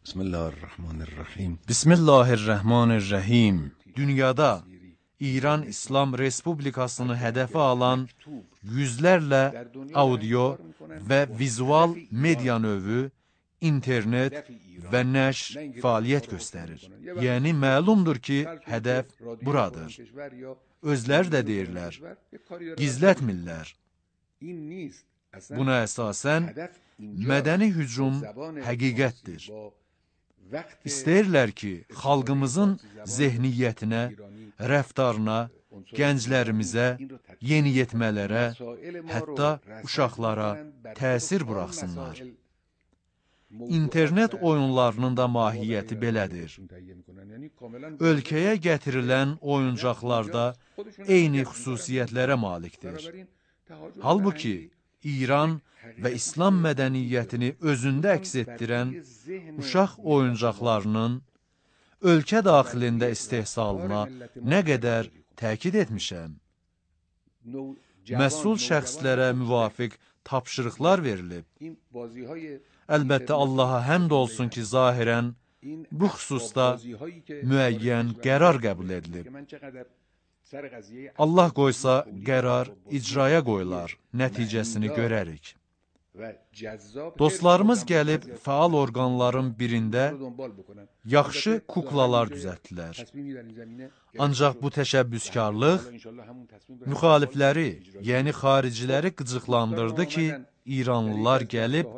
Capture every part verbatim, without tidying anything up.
Bismillahirrahmanirrahim. Bismillahirrahmanirrahim. Dünyada İran İslam Respublikasını hədəfə alan yüzlərlə audio və vizual media növü, internet və nəşr fəaliyyət göstərir. Yəni, məlumdur ki, hədəf buradır. Özləri də deyirlər, gizlətmirlər. Buna əsasən, mədəni hücum həqiqətdir. İstəyirlər ki, xalqımızın zehniyyətinə, rəftarına, gənclərimizə, yeniyetmələrə, hətta uşaqlara təsir buraxsınlar. İnternet oyunlarının da mahiyyəti belədir. Ölkəyə gətirilən oyuncaqlarda eyni xüsusiyyətlərə malikdir. Halbuki, İran və İslam mədəniyyətini özündə əks etdirən uşaq oyuncaqlarının ölkə daxilində istehsalına nə qədər təkid etmişəm. Məsul şəxslərə müvafiq tapşırıqlar verilib. Əlbəttə, Allaha həmd olsun ki, zahirən bu xüsusda müəyyən qərar qəbul edilib. Allah qoysa, qərar icraya qoyular, nəticəsini görərik. Dostlarımız gəlib fəal orqanların birində yaxşı kuklalar düzəltdilər. Ancaq bu təşəbbüskarlıq müxalifləri, yəni xariciləri qıcıqlandırdı ki, İranlılar gəlib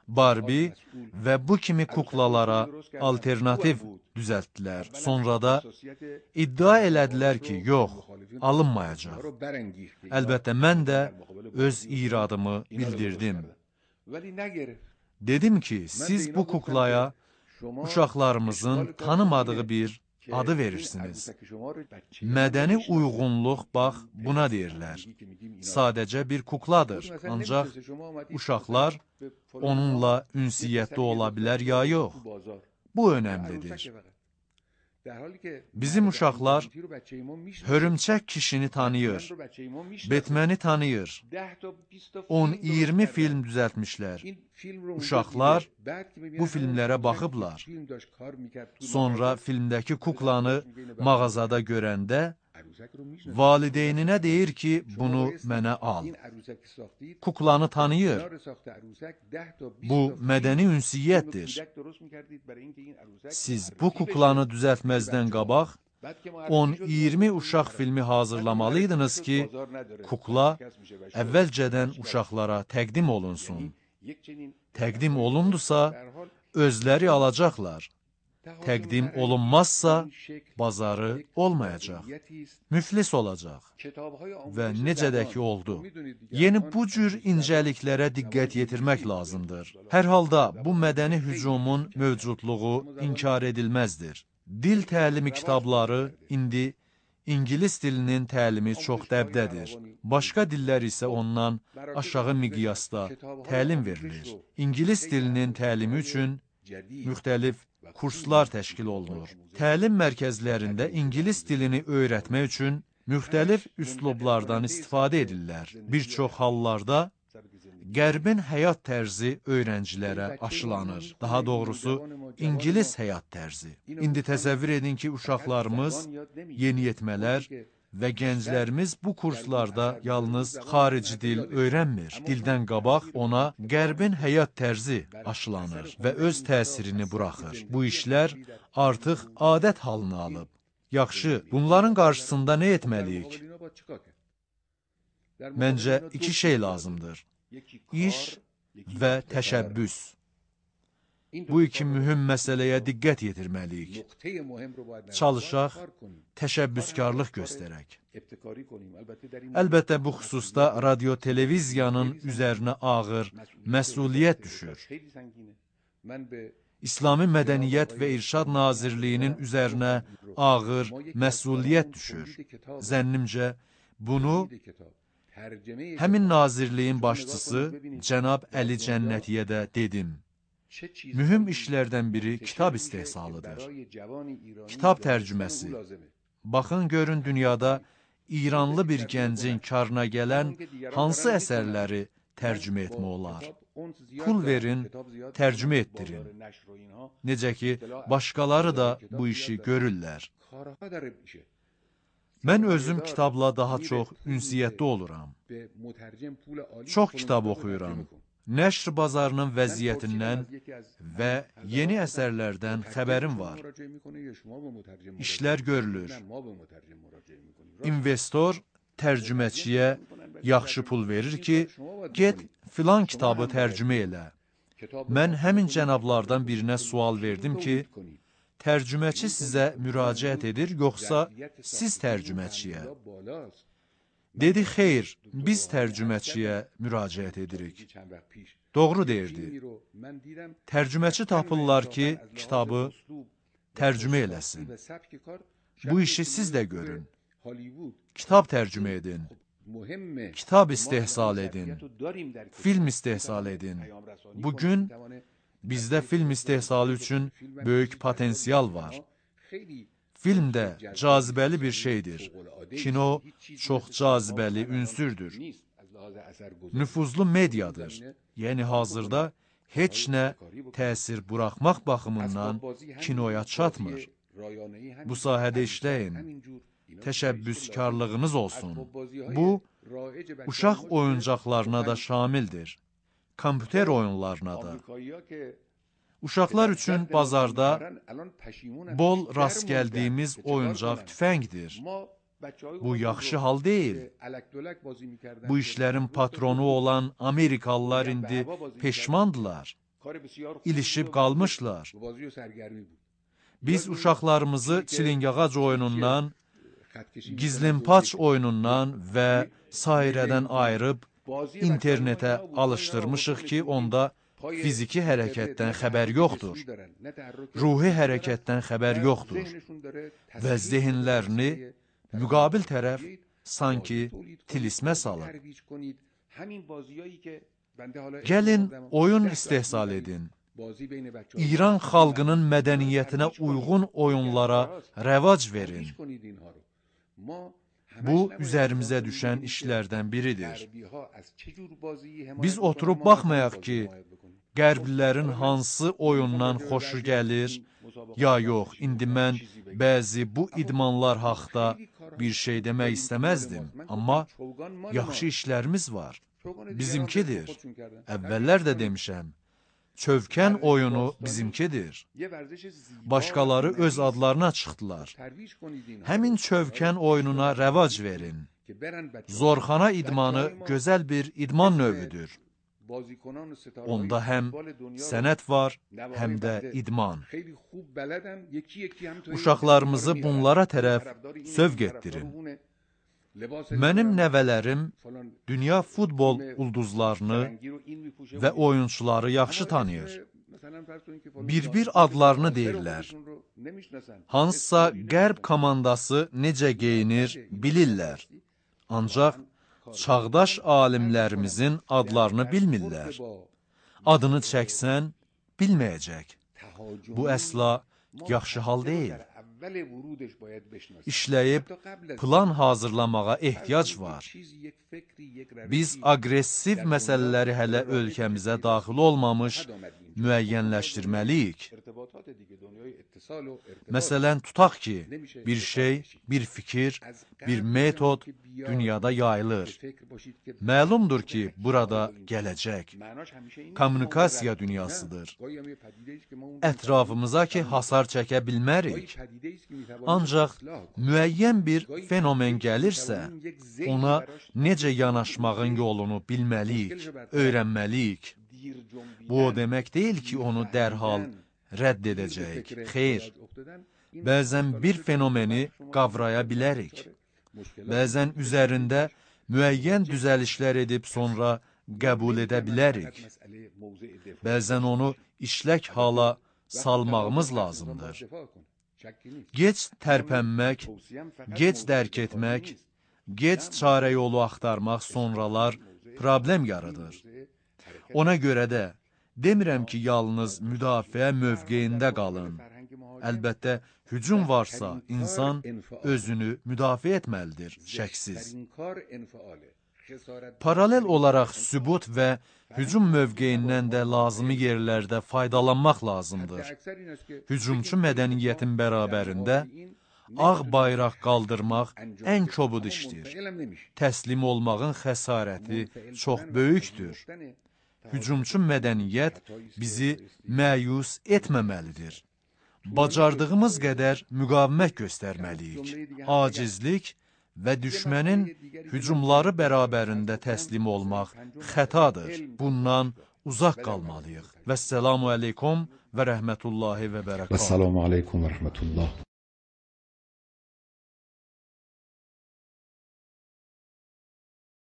Barbie və bu kimi kuklalara alternativ düzəltdilər. Sonra da iddia elədilər ki, yox, alınmayacaq. Əlbəttə, mən də öz iradımı bildirdim. Dedim ki, siz bu kuklaya uşaqlarımızın tanımadığı bir adı verirsiniz. Mədəni uyğunluq, bax, buna deyirlər. Sadəcə bir kukladır, ancaq uşaqlar onunla ünsiyyətdə ola bilər ya yox. Bu önəmlidir. Bizim uşaqlar hörümçək kişini tanıyır, Batman'i tanıyır, on iyirmi film düzəltmişlər. Uşaqlar bu filmlərə baxıblar. Sonra filmdəki kuklanı mağazada görəndə valideyninə deyir ki, bunu mənə al. Kuklanı tanıyır. Bu mədəni ünsiyyətdir. Siz bu kuklanı düzəltməzdən qabaq on iyirmi uşaq filmi hazırlamalıydınız ki, kukla əvvəlcədən uşaqlara təqdim olunsun. Təqdim olundusa, özləri alacaqlar. Təqdim olunmazsa, bazarı olmayacaq. Müflis olacaq. Və necə də ki oldu. Yeni bu cür incəliklərə diqqət yetirmək lazımdır. Hər halda bu mədəni hücumun mövcudluğu inkar edilməzdir. Dil təlimi kitabları indi İngilis dilinin təlimi çox dəbdədir. Başqa dillər isə ondan aşağı miqyasda təlim verilir. İngilis dilinin təlimi üçün müxtəlif kurslar təşkil olunur. Təlim mərkəzlərində İngilis dilini öyrətmək üçün müxtəlif üslublardan istifadə edirlər. Bir çox hallarda Qərbin həyat tərzi öyrəncilərə aşılanır. Daha doğrusu, İngilis həyat tərzi. İndi təsəvvür edin ki, uşaqlarımız, yeniyetmələr və gənclərimiz bu kurslarda yalnız xarici dil öyrənmir. Dildən qabaq ona Qərbin həyat tərzi aşılanır və öz təsirini buraxır. Bu işlər artıq adət halını alıb. Yaxşı, bunların qarşısında nə etməliyik? Məncə, iki şey lazımdır. İş və təşəbbüs. Bu iki mühüm məsələyə diqqət yetirməliyik. Çalışaq, təşəbbüskarlıq göstərək. Əlbəttə, bu xüsusda radio-televiziyanın üzərinə ağır məsuliyyət düşür. İslami Mədəniyyət və İrşad Nazirliyinin üzərinə ağır məsuliyyət düşür. Zənnimcə, bunu həmin nazirliyin başçısı cənab Əli Cənnətiyə də dedim. Mühüm işlərdən biri kitab istehsalıdır. Kitab tərcüməsi. Baxın, görün dünyada İranlı bir gəncin karına gələn hansı əsərləri tərcümə etmək olar. Pul verin, tərcümə etdirin. Necə ki, başqaları da bu işi görürlər. Mən özüm kitabla daha çox ünsiyyətdə oluram. Çox kitab oxuyuram. Nəşr bazarının vəziyyətindən və yeni əsərlərdən xəbərim var. İşlər görülür. İnvestor tərcüməçiyə yaxşı pul verir ki, get filan kitabı tərcümə elə. Mən həmin cənablardan birinə sual verdim ki, tərcüməçi sizə müraciət edir, yoxsa siz tərcüməçiyə? Dedi, xeyr, biz tərcüməçiyə müraciət edirik. Doğru deyirdi. Tərcüməçi tapırlar ki, kitabı tərcümə eləsin. Bu işi siz də görün. Kitab tərcümə edin. Kitab istehsal edin. Film istehsal edin. Bugün bizdə film istehsalı üçün böyük potensial var. Film də cazibəli bir şeydir. Kino çox cazibəli ünsürdür. Nüfuzlu mediadır. Yəni hazırda heç nə təsir buraxmaq baxımından kinoya çatmır. Bu sahədə işləyin. Təşəbbüskarlığınız olsun. Bu, uşaq oyuncaqlarına da şamildir. Kompüter oyunlarına da. Uşaqlar üçün bazarda bol rast gəldiyimiz oyuncaq tüfəngdir. Bu yaxşı hal deyil. Bu işlərin patronu olan Amerikalılar indi peşmandılar. İlişib qalmışlar. Biz uşaqlarımızı çilingağac oyunundan, gizlimpaç oyunundan və sairədən ayırıb internetə alışdırmışıq ki, onda fiziki hərəkətdən xəbər yoxdur. Ruhi hərəkətdən xəbər yoxdur. Və zehinlərini müqabil tərəf sanki tilismə salır. Gəlin oyun istehsal edin. İran xalqının mədəniyyətinə uyğun oyunlara rəvac verin. Bu, üzərimizə düşən işlərdən biridir. Biz oturub baxmayaq ki, Qərblilərin hansı oyundan xoşu gəlir, ya yox, indi mən bəzi bu idmanlar haqda bir şey demək istəməzdim, amma yaxşı işlərimiz var. Bizimkidir. Əvvəllər də demişəm, çövkən oyunu bizimkidir. Başqaları öz adlarına çıxdılar. Həmin çövkən oyununa rəvac verin. Zorxana idmanı gözəl bir idman növüdür. Onda həm sənət var, həm də idman. Uşaqlarımızı bunlara tərəf sövq etdirin. Mənim nəvələrim dünya futbol ulduzlarını və oyunçuları yaxşı tanıyır. Bir-bir adlarını deyirlər. Hansısa qərb komandası necə geyinir bilirlər. Ancaq çağdaş alimlərimizin adlarını bilmirlər. Adını çəksən, bilməyəcək. Bu əsla yaxşı hal deyil. İşləyib plan hazırlamağa ehtiyac var. Biz aqressiv məsələləri hələ ölkəmizə daxil olmamış müəyyənləşdirməliyik. Məsələn, tutaq ki, bir şey, bir fikir, bir metod dünyada yayılır. Məlumdur ki, burada gələcək. Kommunikasiya dünyasıdır. Ətrafımıza ki, hasar çəkə bilmərik. Ancaq müəyyən bir fenomen gəlirsə, ona necə yanaşmağın yolunu bilməliyik, öyrənməliyik. Bu o demək deyil ki, onu dərhal rədd edəcəyik. Xeyr, bəzən bir fenomeni qavraya bilərik. Bəzən üzərində müəyyən düzəlişlər edib sonra qəbul edə bilərik. Bəzən onu işlək hala salmağımız lazımdır. Gec tərpənmək, gec dərk etmək, gec çarə yolu axtarmaq sonralar problem yaradır. Ona görə də demirəm ki, yalnız müdafiə mövqeyində qalın. Əlbəttə, hücum varsa, insan özünü müdafiə etməlidir, şəksiz. Paralel olaraq sübut və hücum mövqeyindən də lazımi yerlərdə faydalanmaq lazımdır. Hücumçu mədəniyyətin bərabərində ağ bayraq qaldırmaq ən kobud işdir. Təslim olmağın xəsarəti çox böyükdür. Hücumçu mədəniyyət bizi məyus etməməlidir. Bacardığımız qədər müqavimət göstərməliyik. Acizlik və düşmənin hücumları bərabərində təslim olmaq xətadır. Bundan uzaq qalmalıyıq. Vəssalamu aleykum və rəhmətullahi və bərəkatuhu. Vəssalamu aleykum və rəhmətullah.